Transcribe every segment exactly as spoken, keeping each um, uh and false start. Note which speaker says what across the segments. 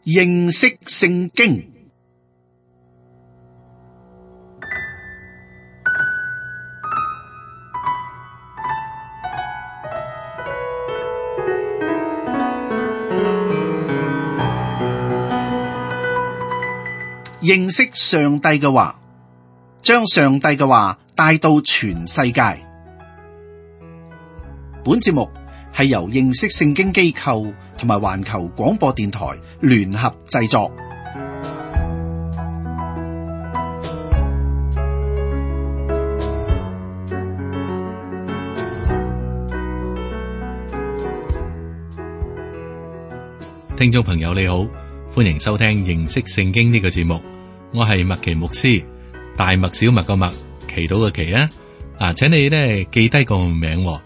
Speaker 1: 認識聖經。認識上帝嘅話，將上帝嘅話帶到全世界。本節目係由認識聖經機構同埋環球廣播電台聯合製作。
Speaker 2: 聽眾朋友你好，歡迎收聽認識聖經呢個節目。我係麥奇牧師，大麥小麥個麥，祈禱個祈啊！啊，請你咧記低個名，誒、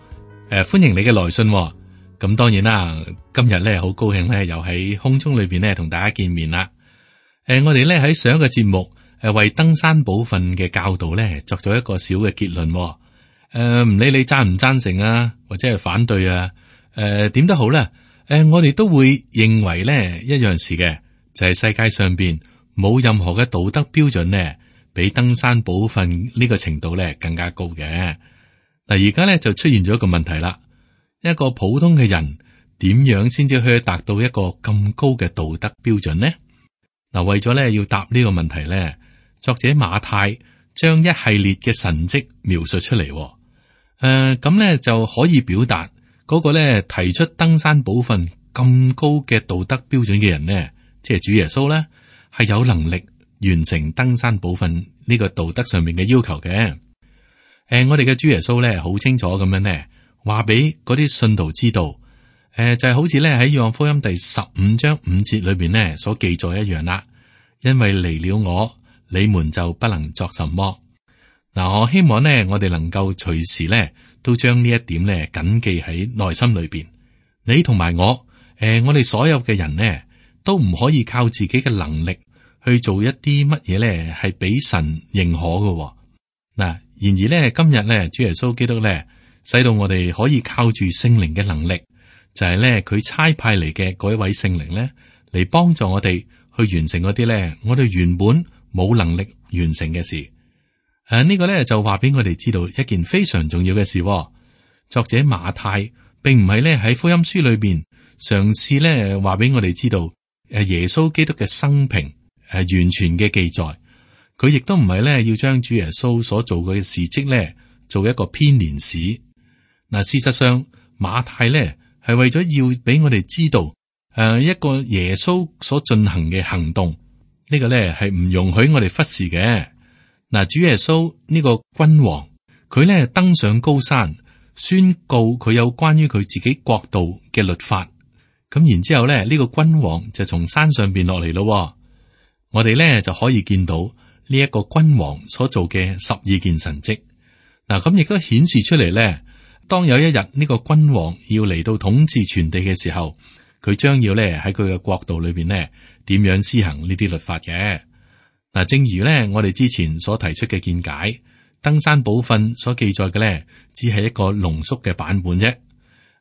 Speaker 2: 呃，歡迎你嘅來信。咁當然啦，今日咧好高興咧，又喺空中裏邊咧同大家見面啦。誒、呃，我哋咧喺上一個節目誒為登山寶訓嘅教導咧作咗一個小嘅結論。誒、呃，唔理你贊唔贊成啊，或者係反對啊，誒、呃，點都好啦。誒、呃，我哋都會認為咧一樣事嘅，就係、是、世界上邊冇任何嘅道德標準咧，比登山寶訓呢個程度咧更加高嘅。嗱，而家咧就出現咗一個問題啦，一個普通嘅人點樣先至可以達到一個咁高嘅道德標準呢？嗱，為咗咧要答呢個問題咧，作者馬太將一系列嘅神蹟描述出嚟。誒、呃，咁咧就可以表達嗰個咧提出登山寶訓咁高嘅道德標準嘅人呢，即係主耶穌咧，係有能力完成登山寶訓呢個道德上面嘅要求嘅。誒、呃，我哋嘅主耶穌咧，好清楚咁樣咧，話俾嗰啲信徒知道，誒、呃，就係、是、好似咧喺約翰福音第十五章五節裏邊咧所記載一樣啦。因為離了我，你們就不能作什麼。嗱、呃，我希望咧，我哋能夠隨時咧都將呢一點咧謹記喺內心裏邊。你同埋我，誒、呃，我哋所有嘅人呢，都唔可以靠自己嘅能力去做一啲乜嘢咧，係俾神認可嘅。嗱，然而咧，今日咧，主耶穌基督咧，使到我哋可以靠住聖靈嘅能力，就係咧佢差派嚟嘅嗰一位聖靈咧，嚟幫助我哋去完成嗰啲咧，我哋原本冇能力完成嘅事。誒、啊，這個、呢個咧就話俾我哋知道一件非常重要嘅事。作者馬太並唔係咧喺福音書裏邊嘗試咧話俾我哋知道誒耶穌基督嘅生平誒完全嘅記載，佢亦都唔係咧要將主耶穌所做嘅事蹟咧做一個編年史。嗱，事實上馬太咧係為咗要俾我哋知道誒一個耶穌所進行嘅行動，這個、呢個咧係唔容許我哋忽視嘅。嗱，主耶穌呢個君王，佢咧登上高山，宣告佢有關於佢自己國度嘅律法。咁然之後咧，呢、這個君王就從山上邊落嚟咯。我哋咧就可以見到呢一個君王所做嘅十二件神蹟。嗱，咁亦都顯示出嚟咧，當有一日呢個君王要嚟到統治全地嘅時候，佢將要咧喺佢嘅國度裏邊咧點樣施行呢啲律法嘅。嗱，正如咧我哋之前所提出嘅見解，登山寶訓所記載嘅咧，只係一個濃縮嘅版本啫。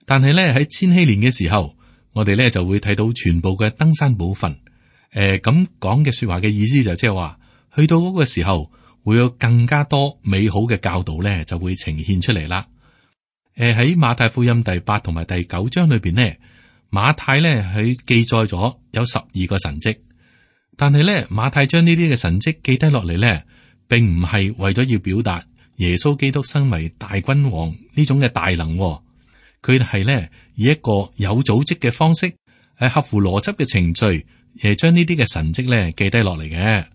Speaker 2: 但係咧喺千禧年嘅時候，我哋咧就會睇到全部嘅登山寶訓。誒、呃，咁講嘅說話嘅意思就即係話，去到嗰個時候會有更加多美好嘅教導咧，就會呈現出嚟啦。誒、呃，喺馬太福音第八同埋第九章裏邊呢，馬太咧佢記載咗有十二個神蹟。但係咧，馬太將呢啲嘅神蹟記低落嚟咧，並唔係為咗要表達耶穌基督身為大君王呢種嘅大能，佢係咧以一個有組織嘅方式，係合乎邏輯嘅程序，誒將呢啲嘅神蹟咧記低落嚟嘅。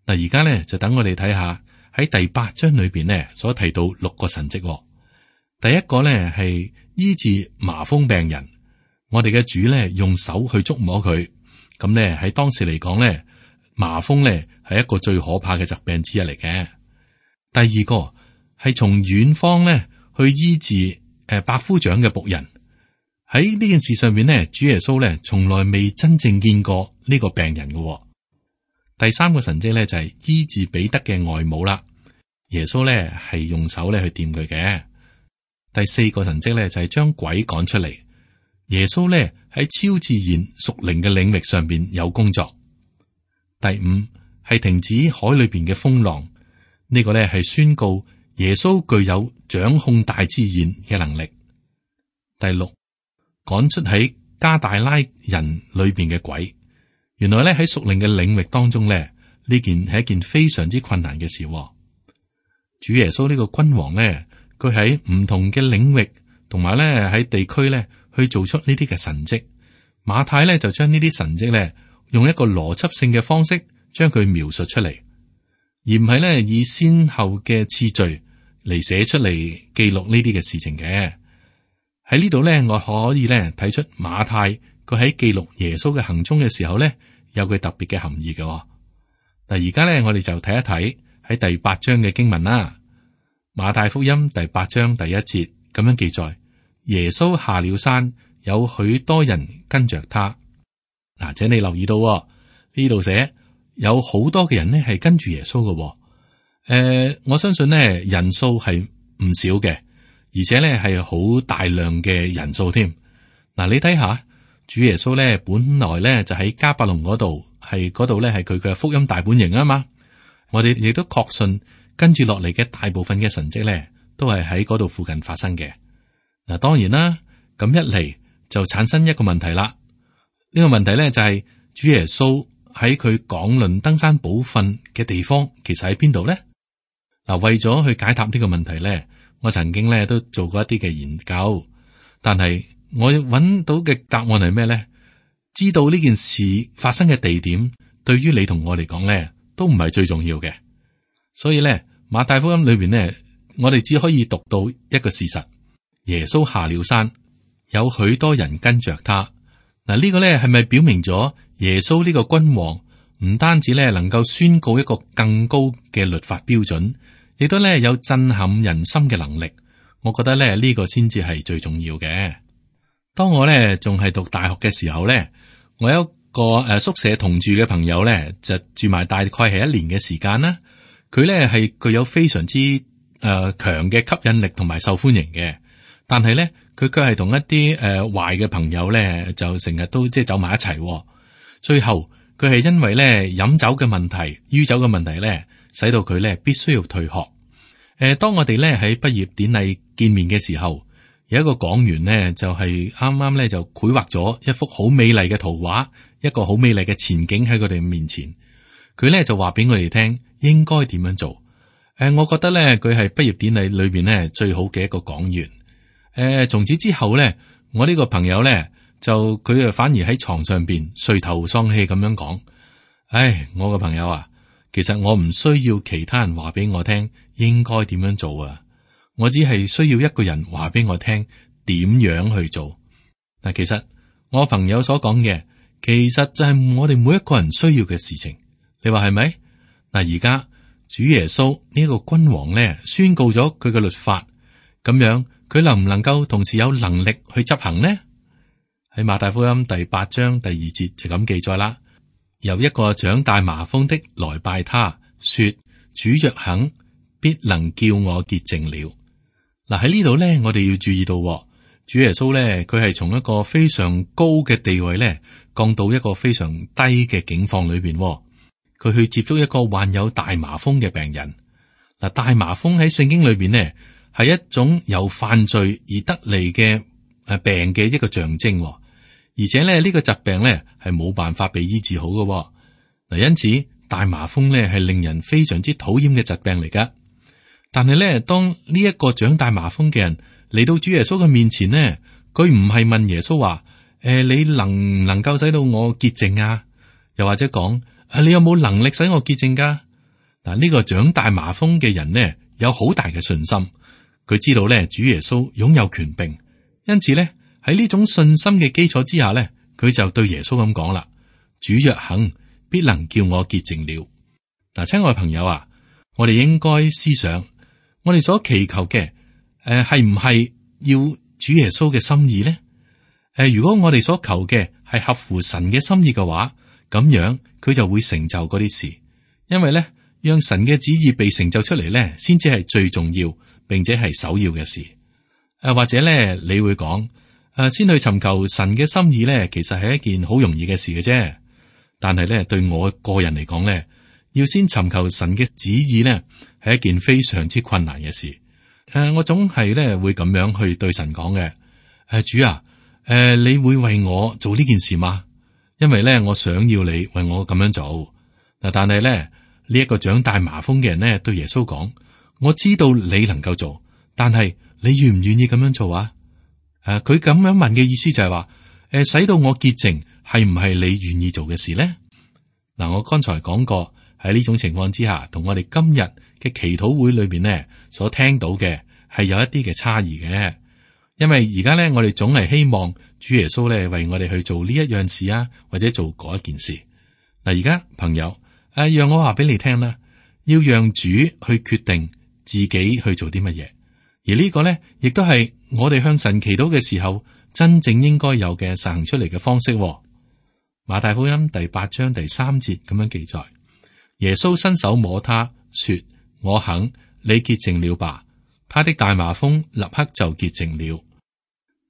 Speaker 2: 嗱，而家咧就等我哋睇下喺第八章裏邊咧所提到六個神蹟。第一個咧係醫治麻風病人，我哋嘅主咧用手去觸摸佢。咁咧喺當時嚟講咧，麻風咧係一個最可怕嘅疾病之一嚟嘅。第二個係從遠方咧去醫治誒百夫長嘅僕人。喺呢件事上面咧，主耶穌咧從來未真正見過呢個病人嘅。第三個神蹟咧就係醫治彼得嘅外母啦。耶穌咧係用手咧去掂佢嘅。第四個神蹟咧就係將鬼趕出嚟。耶穌咧喺超自然屬靈嘅領域上邊有工作。第五係停止海裏邊嘅風浪，呢個咧係宣告耶穌具有掌控大自然嘅能力。第六，趕出喺加大拉人裏邊嘅鬼。原來咧喺屬靈嘅領域當中咧，呢件係一件非常之困難嘅事。主耶穌呢個君王咧，佢喺唔同嘅領域同埋咧喺地區咧去做出呢啲嘅神蹟。馬太咧就將呢啲神蹟咧用一個邏輯性嘅方式將佢描述出嚟，而唔係咧以先後嘅次序嚟寫出嚟記錄呢啲嘅事情嘅。喺呢度咧，我可以咧睇出馬太佢喺記錄耶穌嘅行蹤嘅時候咧，有佢特別嘅含義嘅。嗱，而家咧我哋就睇一睇喺第八章嘅經文啦。馬太福音第八章第一節咁樣記載：耶穌下了山，有許多人跟着他。嗱，請你留意到呢度寫有好多嘅人呢係跟住耶穌嘅。誒、呃，我相信呢人數係唔少嘅，而且呢係好大量嘅人數添。嗱，你睇下主耶穌呢本來呢就喺迦百農嗰度，係嗰度呢係佢嘅福音大本營啊嘛。我哋亦都確信跟住落嚟嘅大部分嘅神蹟呢都係喺嗰度附近發生嘅。嗱，當然啦，咁一嚟就產生一個問題啦。呢個問題呢就係主耶穌喺佢講論登山寶訓嘅地方，其實喺邊度呢？嗱，為咗去解答呢個問題呢，我曾經呢都做過一啲嘅研究，但係我揾到嘅答案係咩呢？知道呢件事發生嘅地點，對於你同我嚟講呢，都唔係最重要嘅。所以呢，馬太福音裏邊呢，我哋只可以讀到一個事實：耶穌下了山，有許多人跟着他。嗱，呢個呢係咪表明咗耶穌呢個君王唔單止呢能夠宣告一個更高嘅律法標準，亦都呢有震撼人心嘅能力？我覺得呢呢個先至係最重要嘅。當我呢仲係讀大學嘅時候呢，我有一個誒宿舍同住嘅朋友呢，就住埋大概係一年嘅時間啦。佢呢係具有非常之誒強嘅吸引力同埋受歡迎嘅，但係呢，佢卻係同一啲誒壞嘅朋友咧，就成日都即係走埋一齊。最後佢係因為咧飲酒嘅問題、酗酒嘅問題咧，使到佢咧必須要退學。誒、呃，當我哋咧喺畢業典禮見面嘅時候，有一個講員呢，就係啱啱咧就繪畫咗一幅好美麗嘅圖畫，一個好美麗嘅前景喺佢哋面前。佢咧就話俾我哋聽應該點樣做。誒、呃，我覺得咧佢係畢業典禮裏邊咧最好嘅一個講員。誒，從此之後咧，我呢個朋友咧就佢啊反而喺床上邊垂頭喪氣咁樣講：唉，我個朋友啊，其實我唔需要其他人話俾我聽應該點樣做啊，我只係需要一個人話俾我聽點樣去做。嗱，其實我朋友所講嘅，其實就係我哋每一個人需要嘅事情。你話係咪？嗱，而家主耶穌呢個君王咧宣告咗佢嘅律法，咁樣。佢能唔能夠同時有能力去執行呢？喺馬太福音第八章第二節就咁記載啦。有一個長大麻風的來拜他，說：主若肯，必能叫我潔淨了。嗱，喺呢度咧，我哋要注意到，主耶穌咧，佢係從一個非常高嘅地位咧，降到一個非常低嘅境況裏邊。佢去接觸一個患有大麻風嘅病人。嗱，大麻風喺聖經裏邊呢，係一種由犯罪而得嚟嘅誒病嘅一個象徵，而且咧呢個疾病咧係冇辦法被醫治好嘅。嗱，因此大麻風咧係令人非常之討厭嘅疾病嚟噶。但係咧，當呢一個長大麻風嘅人嚟到主耶穌嘅面前呢，佢唔係問耶穌話：誒、呃，你能唔能夠使到我潔淨啊？又或者講：啊，你有冇能力使我潔淨噶？嗱，呢個長大麻風嘅人呢，有好大嘅信心。佢知道咧，主耶穌擁有權柄，因此咧喺呢種信心嘅基礎之下咧，佢就對耶穌咁講啦：主若肯，必能叫我潔淨了。嗱，親愛朋友啊，我哋應該思想，我哋所祈求嘅，誒係唔係要主耶穌嘅心意咧？誒、呃，如果我哋所求嘅係合乎神嘅心意嘅話，咁樣佢就會成就嗰啲事，因為咧讓神嘅旨意被成就出嚟咧，先至係最重要。並且係首要嘅事，誒、啊、或者咧，你會講，誒、誒，先去尋求神嘅心意咧，其實係一件好容易嘅事嘅啫。但係咧，對我個人嚟講咧，要先尋求神嘅旨意咧，係一件非常之困難嘅事。誒，我總係咧會咁樣去對神講嘅。誒，主啊，誒，你會為我做呢件事嗎？因為咧，我想要你為我咁樣做。嗱，但係咧，呢一個長大麻風嘅人咧，對耶穌講：我知道你能夠做，但係你願唔願意咁樣做啊？誒，佢咁樣問嘅意思就係話：誒，使到我潔淨，係唔係你願意做嘅事咧？嗱，我剛才講過喺呢種情況之下，同我哋今日嘅祈禱會裏邊咧所聽到嘅係有一啲嘅差異嘅。因為而家咧，我哋總係希望主耶穌咧為我哋去做呢一樣事啊，或者做嗰一件事。嗱，而家朋友誒，讓我話俾你聽啦，要讓主去決定自己去做啲乜嘢，而呢個咧亦都係我哋向神祈禱嘅時候真正應該有嘅實行出嚟嘅方式。馬太福音第八章第三節咁樣記載：耶穌伸手摸他，說：我肯，你潔淨了吧。他的大麻風立刻就潔淨了。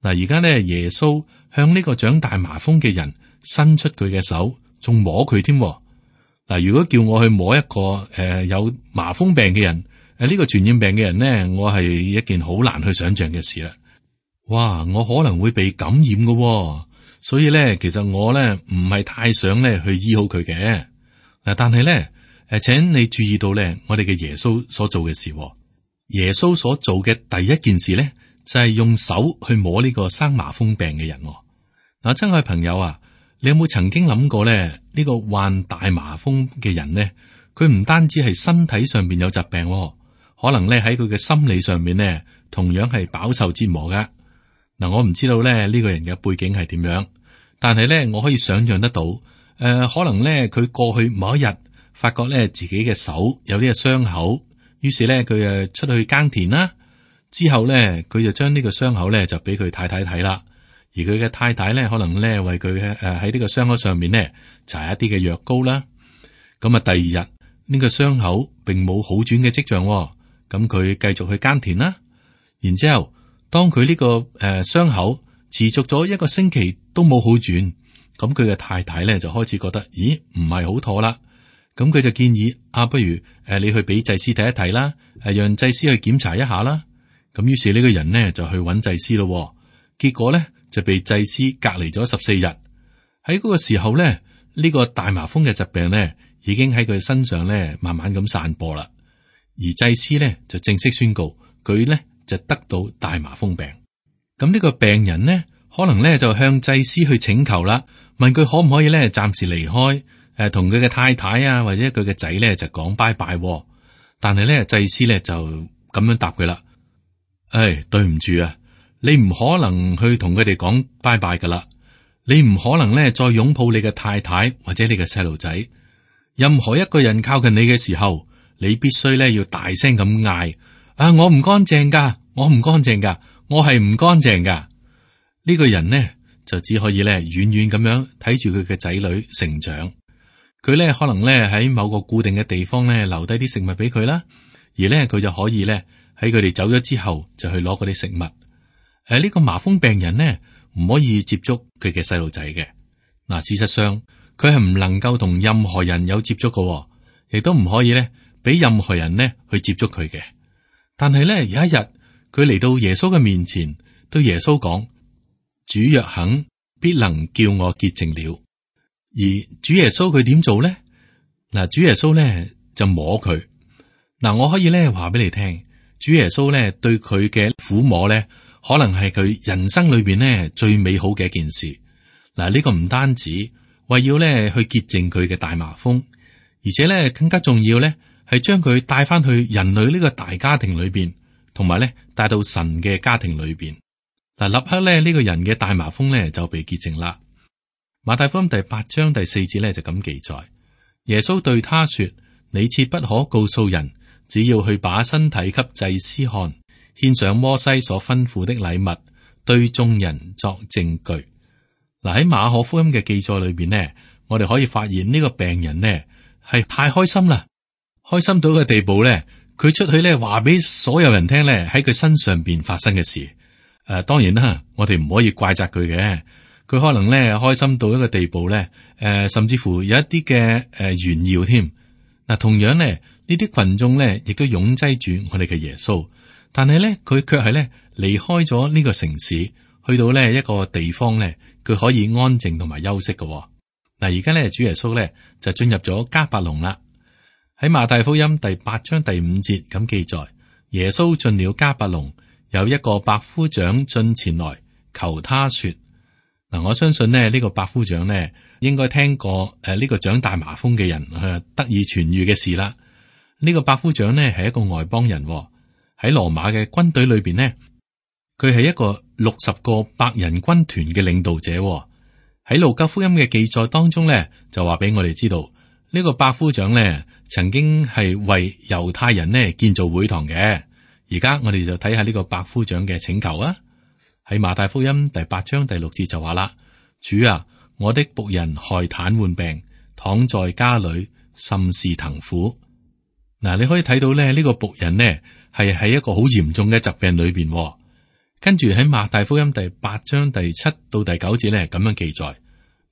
Speaker 2: 嗱，而家咧，耶穌向呢個長大麻風嘅人伸出佢嘅手，仲摸佢添。嗱，如果叫我去摸一個誒、呃、有麻風病嘅人，誒、呃、呢、這個傳染病嘅人呢，我係一件好難去想象嘅事啦。哇，我可能會被感染嘅，所以咧，其實我咧唔係太想咧去醫好佢嘅。嗱，但係咧，誒，請你注意到咧，我哋嘅耶穌所做嘅事，耶穌所做嘅第一件事咧，就係用手去摸呢個生麻風病嘅人。嗱，親愛朋友啊，你有冇曾經諗過咧？呢個患大麻風嘅人呢，佢唔單止係身體上邊有疾病，可能咧喺佢嘅心理上面呢，同樣係飽受折磨噶。嗱，我唔知道咧呢個人嘅背景係點樣，但係咧我可以想象得到，誒、呃，可能咧佢過去某一日發覺咧自己嘅手有啲嘅傷口，於是咧佢誒出去耕田啦。之後咧，佢就將呢個傷口咧就俾佢太太睇啦，而佢嘅太太咧可能咧為佢誒喺呢個傷口上面咧搽一啲嘅藥膏啦。咁啊，第二日呢個傷口並冇好轉嘅跡象，咁佢繼續去耕田啦。然之後，當佢呢個誒傷口持續咗一個星期都冇好轉，咁佢嘅太太咧就開始覺得，咦，唔係好妥啦。咁佢就建議啊，不如誒你去俾祭司睇一睇啦，誒讓祭司去檢查一下啦。咁於是呢個人呢就去揾祭司咯，結果呢就被祭司隔離咗十四日。喺嗰個時候呢，呢個大麻風嘅疾病呢已經喺佢身上呢慢慢咁散播啦。而祭司呢就正式宣告佢呢就得到大麻風病。咁呢個病人呢可能呢就向祭司去請求啦，問佢可唔可以呢暫時離開，誒同佢嘅太太啊或者佢嘅仔呢就講拜拜。但係呢祭司呢就咁樣答佢啦。唉，對唔住啊，你唔可能去同佢哋講拜拜噶啦，你唔可能咧再擁抱你嘅太太或者你嘅細路仔。任何一個人靠近你嘅時候，你必須咧要大聲咁嗌：啊，我唔乾淨噶，我唔乾淨噶，我係唔乾淨噶。呢個人呢，就只可以咧遠遠咁樣睇住佢嘅仔女成長。佢咧可能咧喺某個固定嘅地方咧留低啲食物俾佢啦，而咧佢就可以咧。喺佢哋走咗之後，就去攞嗰啲食物。誒、啊，呢、這個麻風病人呢，唔可以接觸佢嘅細路仔嘅。嗱、啊，事實上佢係唔能夠同任何人有接觸嘅，亦都唔可以咧俾任何人呢去接觸佢嘅。但係咧有一日，佢嚟到耶穌嘅面前，對耶穌講：主若肯，必能叫我潔淨了。而主耶穌佢點做咧？嗱、啊，主耶穌咧就摸佢。嗱、啊，我可以咧話俾你聽。主耶穌咧對佢嘅撫摸咧，可能係佢人生裏邊咧最美好嘅一件事。嗱，呢個唔單止為要咧去潔淨佢嘅大麻風，而且咧更加重要咧係將佢帶翻去人類呢個大家庭裏邊，同埋咧帶到神嘅家庭裏邊。嗱，立刻咧呢個人嘅大麻風咧就被潔淨啦。馬太福音第八章第四節咧就咁記載：耶穌對他說：你切不可告訴人。只要去把身體給祭司看，獻上摩西所吩咐的禮物，對眾人作證據。嗱，喺馬可福音嘅記載裏邊呢，我哋可以發現呢個病人呢係太開心啦，開心到嘅地步咧，佢出去咧話俾所有人聽咧喺佢身上邊發生嘅事。誒，當然啦，我哋唔可以怪責佢嘅。佢可能咧開心到一個地步咧，誒，甚至乎有一啲嘅誒炫耀添。嗱，同樣咧呢啲群眾咧亦都擁擠住我哋嘅耶穌，但係咧佢卻係咧離開咗呢個城市，去到呢一個地方咧，佢可以安靜同埋休息嘅。嗱，而家咧主耶穌咧就進入咗迦百農啦。喺馬太福音第八章第五節咁記載，耶穌進了迦百農，有一個百夫長進前來求他說。嗱，我相信呢呢個百夫長呢應該聽過誒呢個長大麻風嘅人誒得以痊愈嘅事啦。呢個百夫長呢係一個外邦人，喺羅馬嘅軍隊裏邊呢，佢係一個六十個百人軍團嘅領導者。喺路加福音嘅記載當中呢，就話俾我哋知道呢個百夫長呢曾經係為猶太人呢建造會堂嘅。而家我哋就睇下呢個百夫長嘅請求啊。喺馬太福音第八章第六節就話啦：主啊，我的僕人害癱瘓病，躺在家裏，甚是疼苦。嗱，你可以睇到咧，呢個僕人呢係喺一個好嚴重嘅疾病裏邊。跟住喺馬太福音第八章第七到第九節咧，咁樣記載：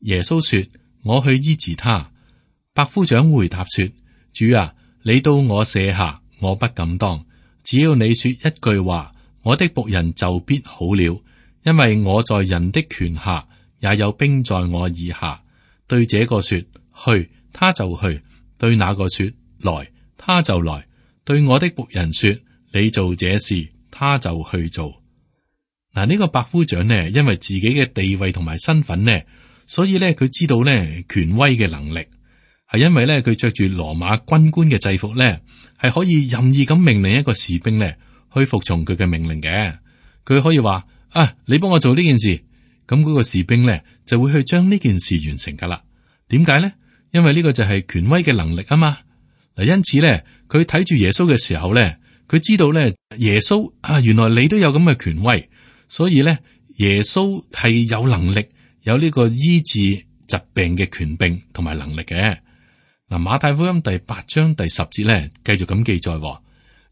Speaker 2: 耶穌說，我去醫治他。百夫長回答說：主啊，你到我舍下，我不敢當，只要你說一句話，我的僕人就必好了。因為我在人的權下，也有兵在我以下。對這個說去，他就去；對那個說來，他就來；對我的僕人說你做這事，他就去做。嗱，呢個百夫長呢，因為自己嘅地位同埋身份呢，所以呢，佢知道呢權威嘅能力，係因為呢，佢着住羅馬軍官嘅制服呢，係可以任意咁命令一個士兵呢去服從佢嘅命令嘅。佢可以話。啊！你幫我做呢件事，咁嗰個士兵咧就會去將呢件事完成噶啦。點解咧？因為呢個就係權威嘅能力啊嘛。嗱，因此咧，佢睇住耶穌嘅時候咧，佢知道咧，耶穌啊，原來你都有咁嘅權威，所以咧，耶穌係有能力，有呢個醫治疾病嘅權柄同埋能力嘅。嗱，馬太福音第八章第十節咧，繼續咁記載：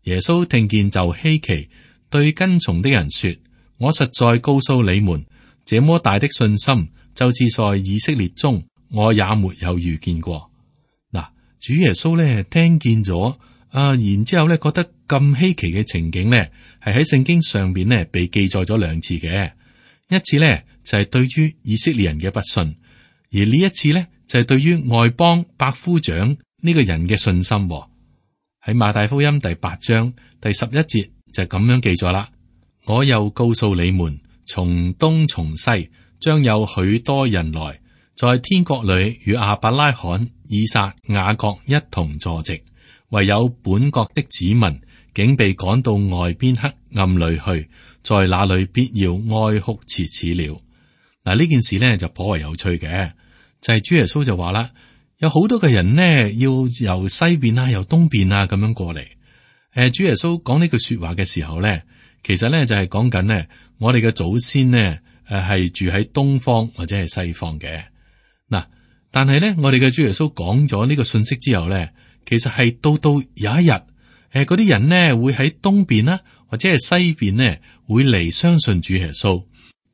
Speaker 2: 耶穌聽見就稀奇，對跟從的人說。我實在告訴你們，這麼大的信心，就是在以色列中，我也沒有遇見過。嗱，主耶穌咧聽見咗啊，然之後咧覺得咁稀奇嘅情景咧，係喺聖經上邊咧被記載咗兩次嘅。一次咧就係、是、對於以色列人嘅不信，而呢一次咧就係、是、對於外邦百夫長呢個人嘅信心。喺馬太福音第八章第十一節就咁樣記載啦。我又告訴你們，從東從西將有許多人來，在天國裏與亞伯拉罕、以撒、雅各一同坐席，唯有本國的子民竟被趕到外邊黑暗裏去，在那裏必要哀哭切齒了。嗱，呢件事呢就頗為有趣嘅，就係、是、主耶穌就話啦，有好多嘅人呢要由西邊啊，由東邊啊咁樣過嚟。誒，主耶穌講呢句說話嘅時候呢。其實咧就係講緊咧，我哋嘅祖先呢誒係住喺東方或者係西方嘅。嗱，但係咧我哋嘅主耶穌講咗呢個信息之後咧，其實係到到有一日，誒嗰啲人呢會喺東邊啦，或者係西邊呢會嚟相信主耶穌，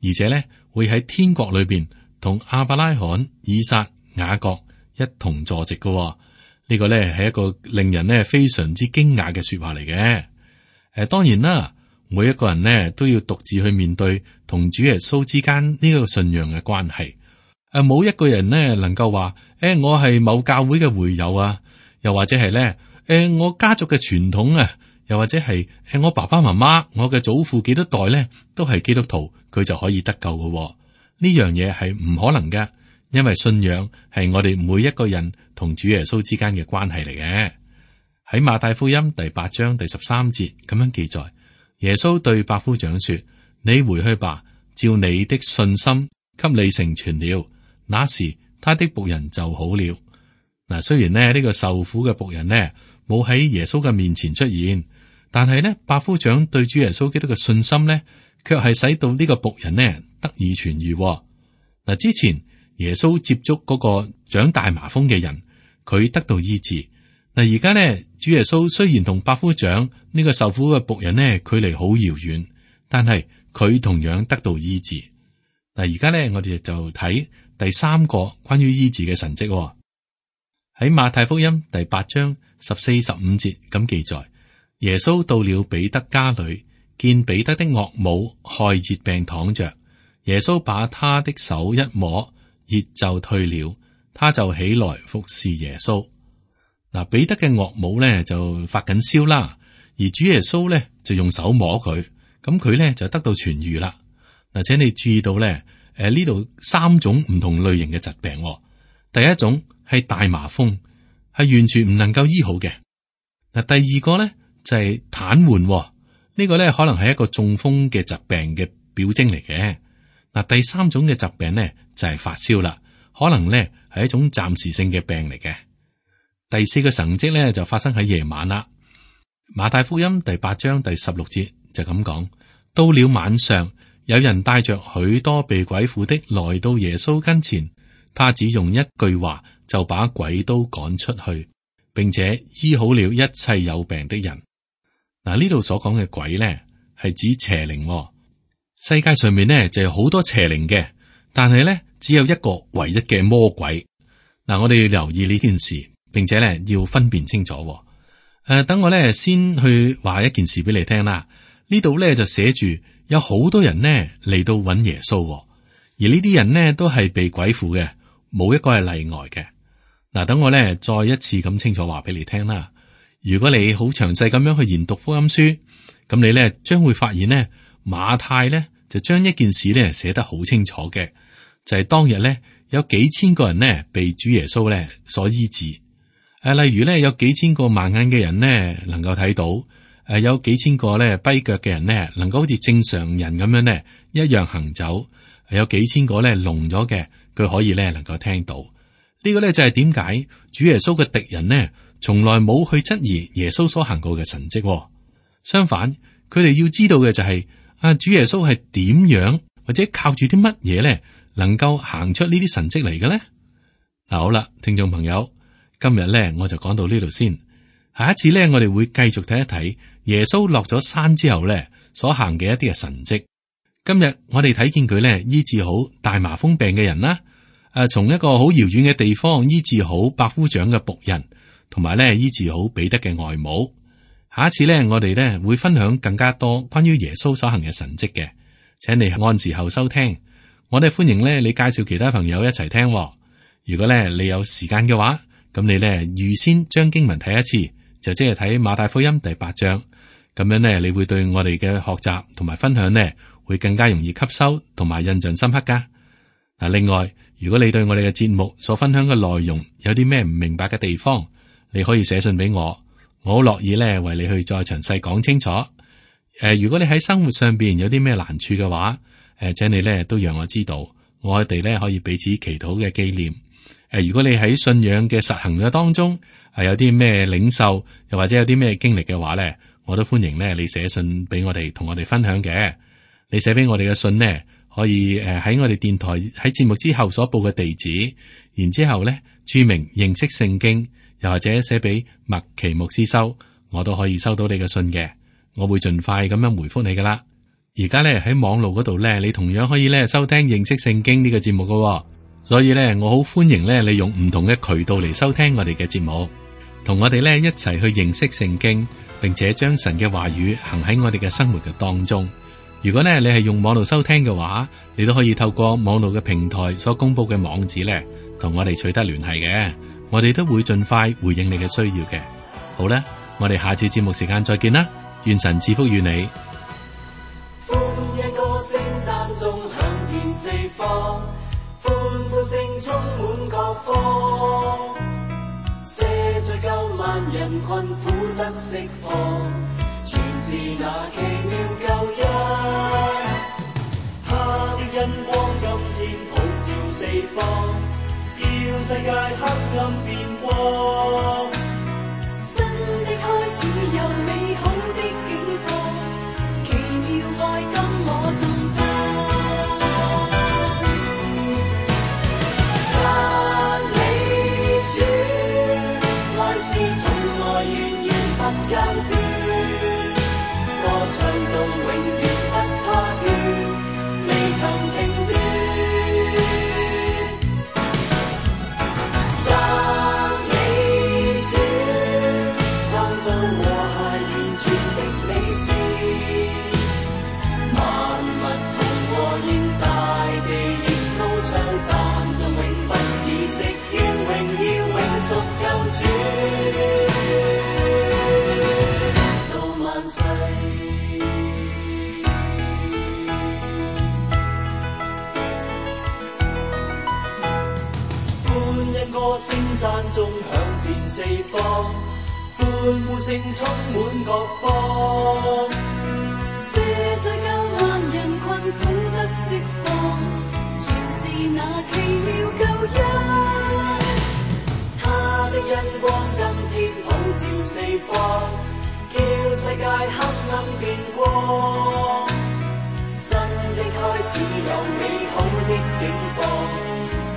Speaker 2: 而且咧會喺天國裏邊同亞伯拉罕、以撒、雅各一同坐席嘅。呢、這個咧係一個令人呢非常之驚訝嘅說話嚟嘅。誒，當然啦。每一個人呢都要獨自去面對同主耶穌之間呢個信仰嘅關係。誒，冇一個人呢能夠話，誒，我係某教會嘅會友啊，又或者係咧，誒，我家族嘅傳統啊，又或者係誒，我爸爸媽媽、我嘅祖父幾多代咧都係基督徒，佢就可以得救嘅。呢樣嘢係唔可能嘅，因為信仰係我哋每一個人同主耶穌之間嘅關係嚟嘅。喺馬太福音第八章第十三節咁樣記載。耶穌對百夫長說：你回去吧，照你的信心給你成全了。那時他的僕人就好了。嗱，雖然呢呢個受苦嘅僕人呢冇喺耶穌嘅面前出現，但係呢百夫長對主耶穌基督嘅信心呢，卻係使到呢個僕人呢得以痊愈。嗱，之前耶穌接觸嗰個長大麻風嘅人，佢得到醫治。嗱，而家呢，主耶穌雖然同百夫長呢個受苦嘅僕人呢距離好遙遠，但係佢同樣得到醫治。嗱，而家咧我哋就睇第三個關於醫治嘅神蹟喎。喺馬太福音第八章十四十五節咁記載，耶穌到了彼得家裏，見彼得的岳母害熱病躺着，耶穌把他的手一摸，熱就退了，他就起來服侍耶穌。嗱，彼得嘅岳母咧就發緊燒啦，而主耶穌咧就用手摸佢，咁佢咧就得到痊癒啦。嗱，請你注意到咧，誒呢度三種唔同類型嘅疾病喎。第一種係大麻風，係完全唔能夠醫好嘅。嗱，第二個咧就係癱瘓，呢、這個咧可能係一個中風嘅疾病嘅表徵嚟嘅。嗱，第三種嘅疾病咧就係發燒啦，可能咧係一種暫時性嘅病嚟嘅。第四個神蹟咧就發生喺夜晚啦。馬太福音第八章第十六節就咁講：到了晚上，有人帶着許多被鬼附的來到耶穌跟前，他只用一句話就把鬼都趕出去，並且醫好了一切有病的人。嗱，呢度所講嘅鬼咧係指邪靈喎。世界上面咧就有好多邪靈嘅，但係咧只有一個唯一嘅魔鬼。嗱，我哋要留意呢件事，並且咧要分辨清楚。誒、呃，等我咧先去話一件事俾你聽啦。呢度咧就寫住有好多人呢嚟到揾耶穌，而呢啲人呢都係被鬼附嘅，冇一個係例外嘅。嗱，等我咧再一次咁清楚話俾你聽啦。如果你好詳細咁樣去研讀福音書，咁你咧將會發現呢，馬太咧就將一件事咧寫得好清楚嘅，就係、是、當日咧有幾千個人呢被主耶穌咧所醫治。誒，例如咧有幾千個盲眼嘅人呢能夠睇到，誒有幾千個咧跛腳嘅人呢能夠好似正常人咁樣呢一樣行走，有幾千個咧聾咗嘅佢可以咧能夠聽到。呢個咧就係點解主耶穌嘅敵人呢從來冇去質疑耶穌所行過嘅神蹟。相反，佢哋要知道嘅就係、是、啊主耶穌係點樣或者靠住啲乜嘢咧能夠行出呢啲神蹟嚟嘅咧？嗱，好啦，聽眾朋友。今日咧，我就講到呢度先。下一次咧，我哋會繼續睇一睇耶穌落咗山之後咧所行嘅一啲嘅神蹟。今日我哋睇見佢咧醫治好大麻風病嘅人啦，誒，從一個好遙遠嘅地方醫治好百夫長嘅僕人，同埋咧醫治好彼得嘅外母。下一次咧，我哋咧會分享更加多關於耶穌所行嘅神蹟嘅，請你按時候收聽。我哋歡迎咧你介紹其他朋友一齊聽。如果咧你有時間嘅話，咁你咧預先將經文睇一次，就即係睇馬太福音第八章，咁樣咧你會對我哋嘅學習同埋分享呢會更加容易吸收同埋印象深刻噶。嗱，另外如果你對我哋嘅節目所分享嘅內容有啲咩唔明白嘅地方，你可以寫信俾我，我好樂意咧為你去再詳細講清楚。誒、呃，如果你喺生活上邊有啲咩難處嘅話，誒、呃，請你咧都讓我知道，我哋咧可以彼此祈禱嘅紀念。誒，如果你喺信仰嘅實行嘅當中係有啲咩領受，又或者有啲咩經歷嘅話咧，我都歡迎咧你寫信俾我哋，同我哋分享嘅。你寫俾我哋嘅信呢，可以誒喺我哋電台喺節目之後所報嘅地址，然之後咧注明認識聖經，又或者寫俾麥奇牧師收，我都可以收到你嘅信嘅。我會盡快咁樣回覆你噶啦。而家咧喺網絡嗰度咧，你同樣可以咧收聽認識聖經呢個節目噶。所以咧，我好歡迎咧，你用唔同嘅渠道嚟收聽我哋嘅節目，同我哋咧一齊去認識聖經，並且將神嘅話語行喺我哋嘅生活嘅當中。如果咧你係用網絡收聽嘅話，你都可以透過網絡嘅平台所公布嘅網址咧，同我哋取得聯繫嘅。我哋都會盡快回應你嘅需要嘅。好啦，我哋下次節目時間再見啦，願神賜福與你。
Speaker 3: 歡一歌聲讚頌響遍四方，歡呼聲充滿各方，赦罪救萬人困苦得釋放，全是那奇妙救恩。他的恩光今天普照四方，叫世界黑暗變光。
Speaker 4: 新的開始有美好的景況，奇妙愛今我頌讚。間斷，歌唱到永遠不怕斷。
Speaker 3: 屬救主，到萬世。歡欣歌聲讚頌響遍四方，歡呼聲充滿各方。
Speaker 4: 赦罪救萬人困苦得釋放，全是那奇妙救恩。
Speaker 3: 他的恩光今天普照四方，叫世界黑暗變光。新的開始有美好的景況，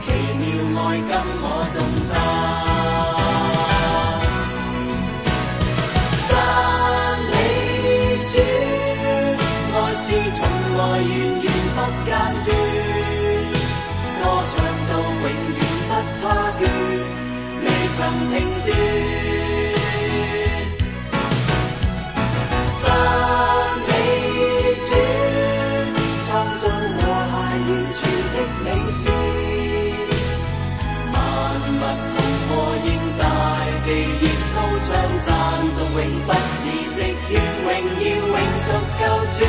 Speaker 3: 奇妙愛跟我頌讚。讚美主，愛是從來源源不間斷，歌唱到永遠不怕倦，未曾停斷。讚美主，創造和諧完全的美事，萬物同和應大地亦高唱讚頌永不止息，願榮耀永屬救主。